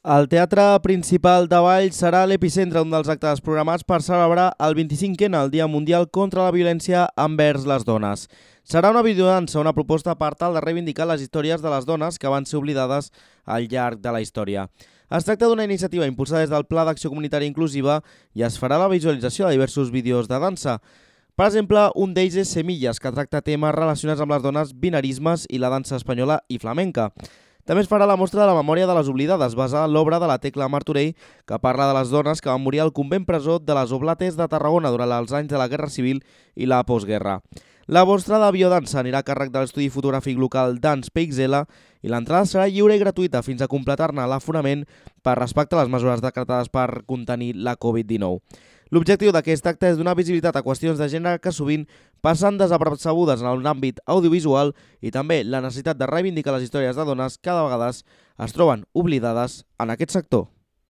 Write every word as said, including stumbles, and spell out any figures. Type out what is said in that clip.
El Teatre Principal de Valls serà l'epicentre d'un dels actes programats per celebrar el vint-i-cinquè el Dia Mundial contra la Violència envers les Dones. Serà una videodansa, una proposta per tal de reivindicar les històries de les dones que van ser oblidades al llarg de la història. Es tracta d'una iniciativa impulsada des del Pla d'Acció Comunitària Inclusiva i es farà la visualització de diversos vídeos de dansa. Per exemple, un d'ells és Semilles, que tracta temes relacionats amb les dones, binarismes i la dansa espanyola i flamenca. També es farà la mostra de la memòria de les oblidades, basada en l'obra de la Tecla Martorell, que parla de les dones que van morir al convent presó de les Oblates de Tarragona durant els anys de la Guerra Civil i la postguerra. La mostra de biodansa anirà a càrrec de l'estudi fotogràfic local Dance P X L i l'entrada serà lliure i gratuïta fins a completar-ne l'aforament per respecte a les mesures decretades per contenir la Covid dinou. L'objectiu d'aquest acte és donar visibilitat a qüestions de gènere que sovint passen desapercebudes en l'àmbit audiovisual i també la necessitat de reivindicar les històries de dones que de vegades es troben oblidades en aquest sector.